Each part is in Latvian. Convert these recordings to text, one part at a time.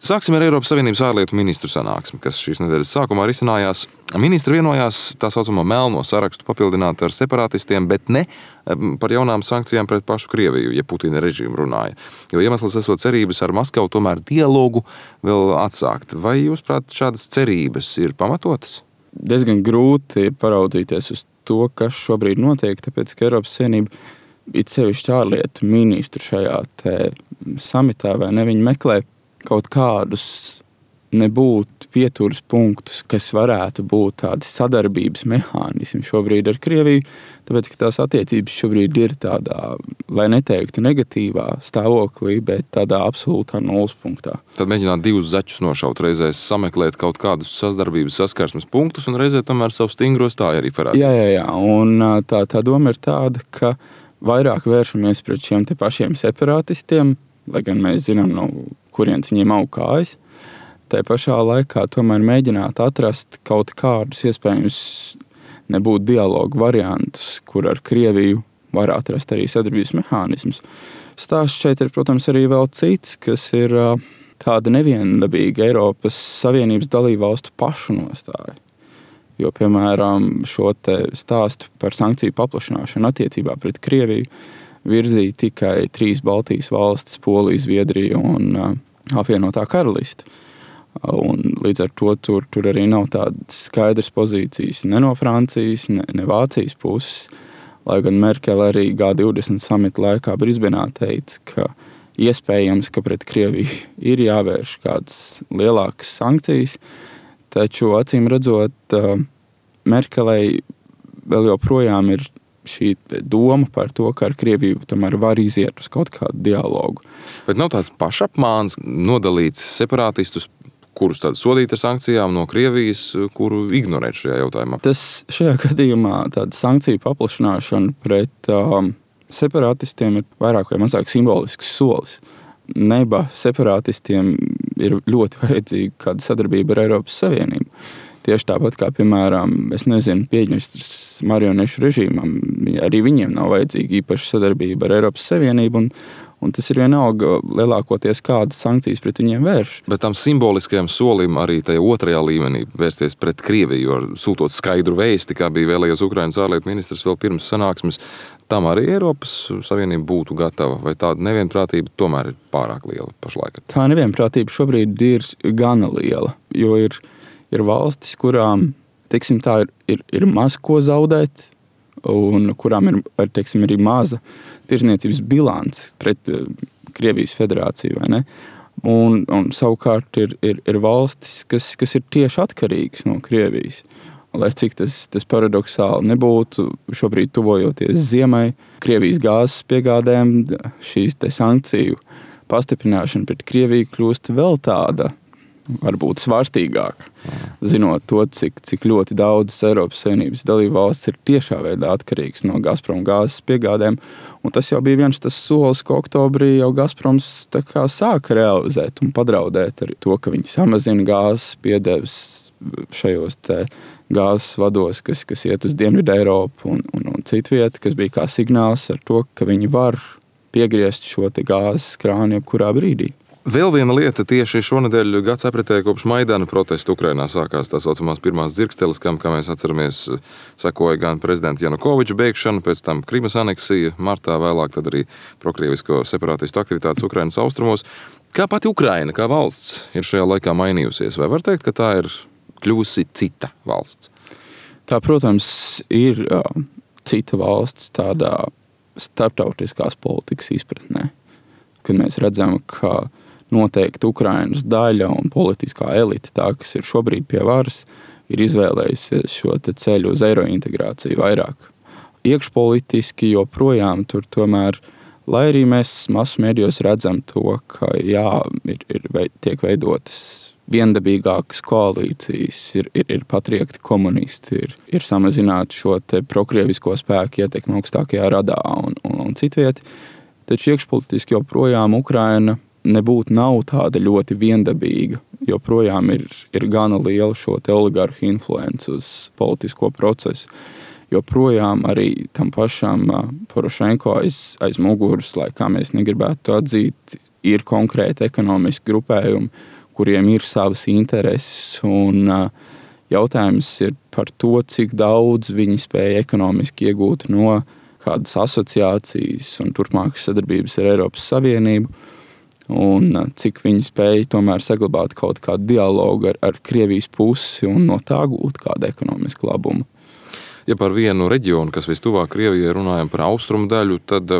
Sāksim ar Eiropas Savienības ārlietu ministru sanāksmi, kas šīs nedēļas sākumā risinājās. Ministri vienojās tā saucamo melno sarakstu papildināt ar separatistiem, bet ne par jaunām sankcijām pret pašu Krieviju, ja Putina režīmu runāja. Jo iemesls esot cerības ar Maskavu tomēr dialogu vēl atsākt. Vai jūs prāt šādas cerības ir pamatotas? Diezgan grūti paraudzīties uz to, kas šobrīd notiek, tāpēc, ka Eiropas Savienība it sevišķi ārlietu ministru šajā samitā, vai ne, viņi meklē kaut kādus nebūtu pieturas punktus, kas varētu būt tādi sadarbības mehānismi šobrīd ar Krieviju, tāpēc, ka tās attiecības šobrīd ir tādā, lai neteiktu negatīvā stāvoklī, bet tādā absolūtā nulles punktā. Tad mēģināt divus zaķus nošaut, reizēs sameklēt kaut kādus sadarbības saskarsmes punktus un reizē tomēr savu stingro stāju arī parādīt. Jā, un tā doma ir tāda, ka vairāk vēršamies pret šiem te pašiem separatistiem, lai gan mēs zinām, no kurienes viņiem aug kājas. Tā pašā laikā tomēr mēģināt atrast kaut kādus iespējams nebūt dialogu variantus, kur ar Krieviju var atrast arī sadarbības mehānismus. Stāsts šeit ir, protams, arī vēl cits, kas ir tāda neviendabīga Eiropas Savienības dalībvalstu pašu nostāja. Jo, piemēram, šo te stāstu par sankciju paplašināšanu attiecībā pret Krieviju virzīja tikai 3 Baltijas valstis, Polija, Zviedrija un apvienotā karaliste. Un līdz ar to tur arī nav tādas skaidras pozīcijas ne no Francijas, ne Vācijas puses. Lai gan Merkele arī G20 samita laikā Brisbenā teica, ka iespējams, ka pret Krieviju ir jāvērš kādas lielākas sankcijas, taču acīm redzot, Merkelei vēl joprojām ir šī doma par to, ka ar Krieviju tomēr var iziet uz kaut kādu dialogu. Bet nav tāds pašapmāns nodalīt separatistus, kurus tad sodīt ar sankcijām no Krievijas, kuru ignorēt šajā jautājumā? Tas šajā gadījumā tāda sankciju paplašināšana pret separatistiem ir vairāk vai mazāk simbolisks solis. Neba separatistiem ir ļoti vajadzīga kāda sadarbība ar Eiropas Savienību. Tieši tāpat kā, piemēram, Piedņestras marionešu režīmam, arī viņiem nav vajadzīga īpaša sadarbība ar Eiropas Savienību, un tas ir vienalga lielākoties kādas sankcijas pret viņiem vērš. Bet tam simboliskajam solim arī tajā otrajā līmenī vērsties pret Krieviju, jo sūtot skaidru vēsti, kā bija vēlējies Ukrainas ārlietu ministrs vēl pirms sanāksmes, tam arī Eiropas Savienība būtu gatava, vai tāda nevienprātība tomēr ir pārāk liela pašlaik? Tā nevienprātība šobrīd ir gana liela, jo ir valstis, kurām, teiksim tā, ir maz ko zaudēt, un kurām ir, teiksim, arī maza tirzniecības bilance pret Krievijas federāciju, vai ne? Un savukārt ir valstis, kas ir tieši atkarīgas no Krievijas. Lai cik tas paradoksāli nebūtu, šobrīd tuvojoties ziemai, Krievijas gāzes piegādēm, šīs te sankciju pastiprināšana pret Krieviju kļūst vēl tāda, varbūt svārstīgāk, zinot to, cik ļoti daudz Eiropas Savienības dalībvalstis ir tiešā veidā atkarīgs no Gazprom gāzes piegādēm. Un tas jau bija viens tas solis, ka oktobrī jau Gazproms tā kā sāka realizēt un padraudēt ar to, ka viņi samazina gāzes piedeves šajos te gāzes vados, kas iet uz Dienvidu Eiropu un citu vietu, kas bija kā signāls ar to, ka viņi var piegriezt šo te gāzes krānu jebkurā brīdī. Vēl viena lieta tieši šonedēļ gads apritēja kopš Maidana protesta Ukrainā sākās tā saucamās pirmās dzirksteles, kam, kā mēs atceramies, sekoja gan prezidenta Janukoviča bēgšana, pēc tam Krimas aneksija, martā vēlāk tad arī prokrievisko separatistu aktivitātes Ukrainas austrumos. Kā pati Ukraina, kā valsts, ir šajā laikā mainījusies? Vai var teikt, ka tā ir kļuvusi cita valsts? Tā, protams, ir cita valsts tādā starptautiskās politikas izpratnē, kad mēs redzam, ka noteikti Ukrainas daļa un politiskā elite, tā, kas ir šobrīd pie varas, ir izvēlējusies šo te ceļu uz eirointegrāciju vairāk. Iekšpolitiski joprojām tur tomēr, lai arī mēs masu mēdījos redzam to, ka tiek veidotas viendabīgākas koalīcijas, ir patriekti komunisti, ir samazināti šo te prokrievisko spēku ietekmi augstākajā radā un citvieti. Taču iekšpolitiski joprojām Ukraina nav tāda ļoti viendabīga, joprojām ir gana liela šo te oligarhu influence uz politisko procesu. Joprojām arī tam pašam Porošenko aiz muguras, lai kā mēs negribētu atzīt, ir konkrēti ekonomiski grupējumi, kuriem ir savas intereses. Un jautājums ir par to, cik daudz viņi spēja ekonomiski iegūt no kādas asociācijas un turpmākas sadarbības ar Eiropas Savienību, un cik viņi spēja tomēr saglabāt kaut kādu dialogu ar Krievijas pusi un no tā gūt kādu ekonomisku labumu. Ja par vienu reģionu, kas vistuvāk Krievijai, runājam par austrumu daļu, tad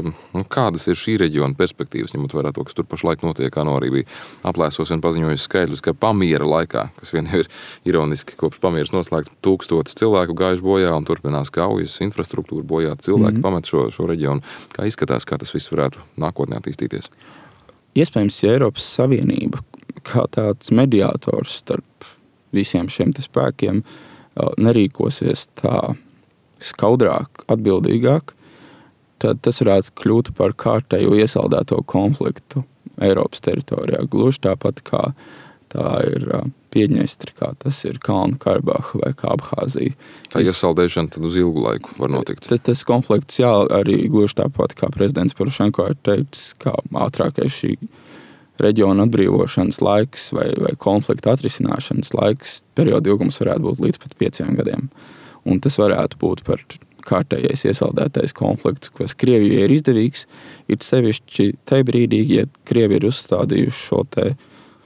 kādas ir šī reģiona perspektīvas, ņemot vērā to, kas tur pašlaik notiek, kā no arī bija aplēsos un paziņojis skaidrs, ka pamiera laikā, kas vien ir ironiski, kopš pamieras noslēgts 1000 cilvēku gājuši bojā un turpinās kaujas, infrastruktūra bojā, cilvēki pamet šo reģionu. Kā izskatās, kā tas viss varētu nākotnē attīstīties? Iespējams, ja Eiropas Savienība kā tāds mediātors starp visiem šiem spēkiem nerīkosies tā skaudrāk, atbildīgāk, tad tas varētu kļūt par kārtējo iesaldēto konfliktu Eiropas teritorijā. Gluži tāpat kā tā ir Piedņestra, kā tas ir Kalnu Karabaha vai kā Abhāzija. Tā iesaldēšana tad uz ilgu laiku var notikt. Tas konflikts, jā, arī gluži tāpat kā prezidents Porošenko ir teicis, kā ātrākais šī reģiona atbrīvošanas laiks vai konflikta atrisināšanas laiks, perioda ilgums varētu būt līdz pat 5 gadiem. Un tas varētu būt par kārtējais iesaldētais konflikts, kas Krievijai ir izdevīgs, ir sevišķi tajā brīdī, ja Krievi ir uzstādījuši šo te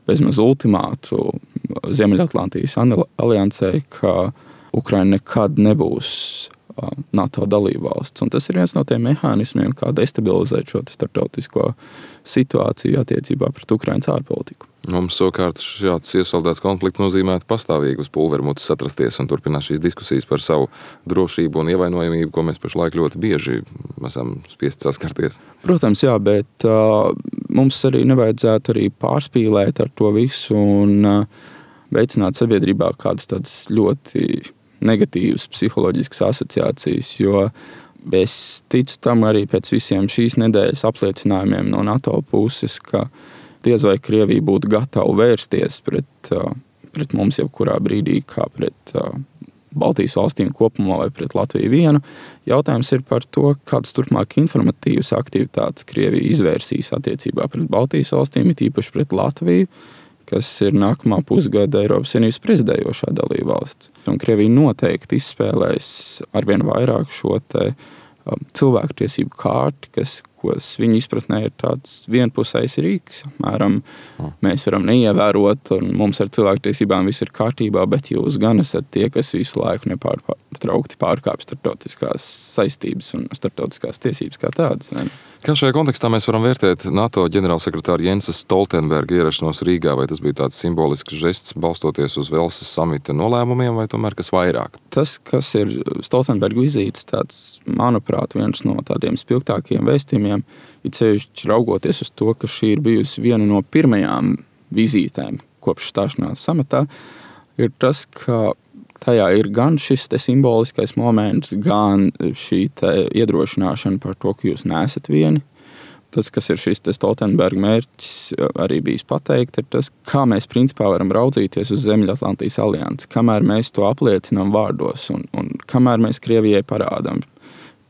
bezmaz ultimātu Ziemeļatlantijas aliansei, ka Ukraina nekad nebūs NATO dalībvalsts. Un tas ir viens no tiem mehānismiem, kā destabilizēt šo starptautisko situāciju attiecībā pret Ukrainas ārpolitiku. Mums savukārt šāds iesaldēts konflikts nozīmētu pastāvīgi uz pulvermutas atrasties un turpināt šīs diskusijas par savu drošību un ievainojamību, ko mēs pašlaik ļoti bieži esam spiesti saskarties. Protams, jā, bet mums arī nevajadzētu arī pārspīlēt ar to visu un veicināt sabiedrībā kādas tādas ļoti negatīvas psiholoģiskas asociācijas, jo es ticu tam arī pēc visiem šīs nedēļas apliecinājumiem no NATO puses, ka diez vai Krievija būtu gatava vērsties pret mums jebkurā brīdī, kā pret Baltijas valstīm kopumā vai pret Latviju vienu. Jautājums ir par to, kādas turpmāk informatīvas aktivitātes Krievija izvērsīs attiecībā pret Baltijas valstīm, it īpaši pret Latviju, kas ir nākamā pusgada Eiropas Savienības prezidējošā dalībvalsts. Un Krievija noteikti izspēlēs arvien vairāk šo te cilvēktiesību kārti, kas viņa izpratnē ir tāds vienpusējs rīks. Apmēram mēs varam neievērot, un mums ar cilvēktiesībām viss ir kārtībā, bet jūs gan esat tie, kas visu laiku nepārtraukti pārkāpj starptautiskās saistības un starptautiskās tiesības kā tādas. Ne? Kā šajā kontekstā mēs varam vērtēt NATO ģenerālsekretāra Jensa Stoltenberga ierašanos Rīgā? Vai tas bija tāds simbolisks žests balstoties uz Velsas samita nolēmumiem, vai tomēr kas vairāk? Tas, kas ir Stoltenberga vizītes, tāds, manuprāt, viens no tādiem spilgtākajiem vēstījumiem, it sevišķi raugoties uz to, ka šī ir bijusi viena no pirmajām vizītēm kopš stāšanās samatā, ir tas, ka tajā ir gan šis te simboliskais moments, gan šī te iedrošināšana par to, ka jūs neesat vieni. Tas, kas ir šis te Stoltenberga mērķis, arī bijis pateikt, ir tas, kā mēs principā varam raudzīties uz Ziemeļatlantijas aliansi, kamēr mēs to apliecinām vārdos un kamēr mēs Krievijai parādām,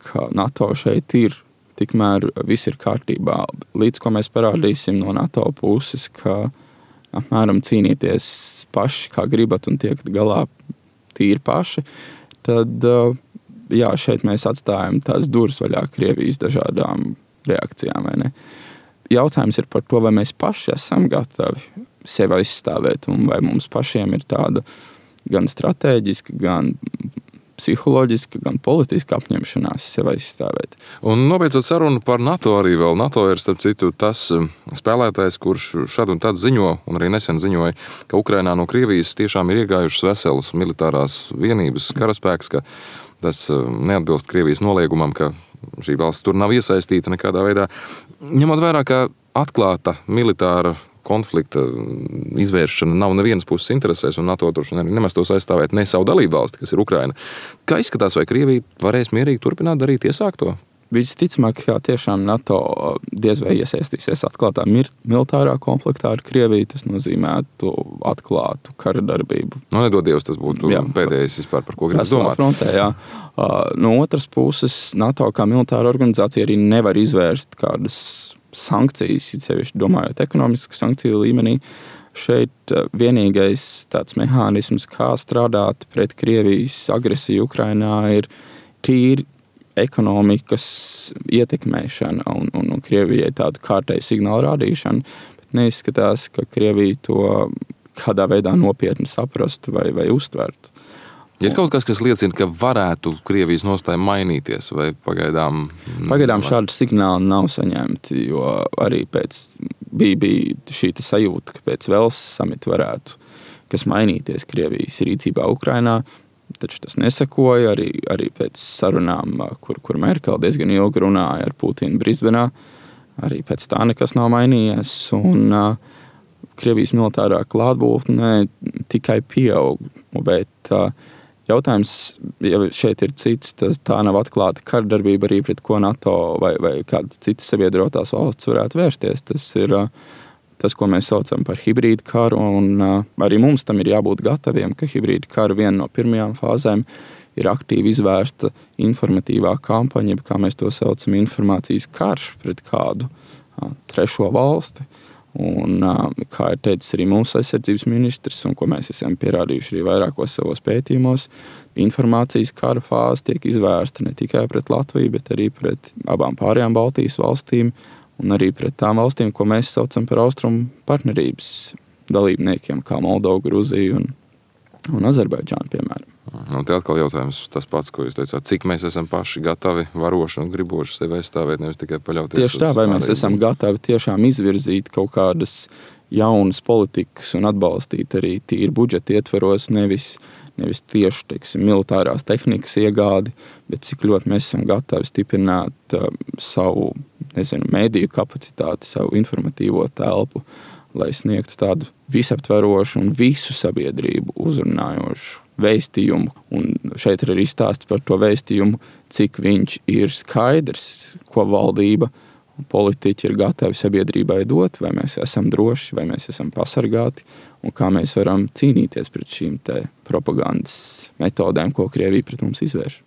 ka NATO šeit ir, tikmēr viss ir kārtībā. Līdz ko mēs parādīsim no NATO puses, ka apmēram cīnīties paši, kā gribat un tiekt galā tīri paši, tad jā, šeit mēs atstājam tās durvis vaļā Krievijas dažādām reakcijām. Vai ne? Jautājums ir par to, vai mēs paši esam gatavi sevi aizstāvēt un vai mums pašiem ir tāda gan stratēģiska, gan psiholoģiska, gan politiska apņemšanās sevi aizstāvēt. Un nobeidzot sarunu par NATO arī vēl. NATO ir, starp citu, tas spēlētājs, kurš šad un tad ziņo, un arī nesen ziņoja, ka Ukrainā no Krievijas tiešām ir iegājušas veselas militārās vienības karaspēks, ka tas neatbilst Krievijas noliegumam, ka šī valsts tur nav iesaistīta nekādā veidā. Ņemot vērā, ka atklāta militāra konflikta izvēršana nav nevienas puses interesēs, un NATO tur nemaz tos aizstāvēt ne savu dalību valsti, kas ir Ukraina. Kā izskatās, vai Krievija varēs mierīgi turpināt darīt iesākto? Visticamāk, jā, tiešām NATO diez vai iesaistīsies atklātā militārā konfliktā ar Krieviju. Tas nozīmētu atklātu kara darbību. Nedod Dievs, tas būtu pēdējais vispār, par ko gribas domāt. Frontē, jā. No otras puses, NATO kā militāra organizācija arī nevar izvērst kādas sankcijas, sevišķi domājot ekonomisku sankciju līmenī. Šeit vienīgais tāds mehānisms, kā strādāt pret Krievijas agresiju Ukrainā, ir tīri ekonomikas ietekmēšana un Krievijai tādu kārtēju signālu rādīšana. Bet neizskatās, ka Krievija to kādā veidā nopietni saprastu vai uztvertu. Ir kaut kas liecina, ka varētu Krievijas nostāja mainīties, vai pagaidām? Pagaidām šādi signāli nav saņemti, jo arī bija šī sajūta, ka pēc Velsas samita varētu kas mainīties Krievijas rīcībā Ukrainā, taču tas nesakoja arī pēc sarunām, kur Merkele diezgan ilgi runāja ar Putinu Brisbenā. Arī pēc tā nekas nav mainījies, un Krievijas militārā klātbūtne tikai pieaug, bet jautājums, ja šeit ir cits, tā nav atklāta kardarbība arī pret ko NATO vai kādas citas sabiedrotās valsts varētu vērsties. Tas ir tas, ko mēs saucam par hibrīdu karu, un arī mums tam ir jābūt gataviem, ka hibrīdu kara viena no pirmajām fāzēm ir aktīvi izvērsta informatīvā kampaņa, kā mēs to saucam, informācijas karš pret kādu trešo valsti. Un, kā ir teicis arī mūsu aizsardzības ministrs, un ko mēs esam pierādījuši arī vairākos savos pētījumos, informācijas kara fāze tiek izvērsta ne tikai pret Latviju, bet arī pret abām pārējām Baltijas valstīm un arī pret tām valstīm, ko mēs saucam par austrumu partnerības dalībniekiem, kā Moldova, Gruzija un Azerbaidžāna, piemēram. Un te atkal jautājums tas pats, ko jūs teicāt, cik mēs esam paši gatavi, varoši un griboši sevi aizstāvēt, nevis tikai paļauties. Tieši tā, vai mēs esam gatavi tiešām izvirzīt kaut kādas jaunas politikas un atbalstīt arī tīri budžeta ietveros, nevis tieši, teiksim, militārās tehnikas iegādi, bet cik ļoti mēs esam gatavi stiprināt savu, mediju kapacitāti, savu informatīvo telpu, lai sniegtu tādu visaptverošu un visu sabiedrību uzrunājošu vēstījumu. Un šeit ir arī stāsts par to vēstījumu, cik viņš ir skaidrs, ko valdība un politiķi ir gatavi sabiedrībai dot, vai mēs esam droši, vai mēs esam pasargāti, un kā mēs varam cīnīties pret šīm te propagandas metodēm, ko Krievija pret mums izvērš.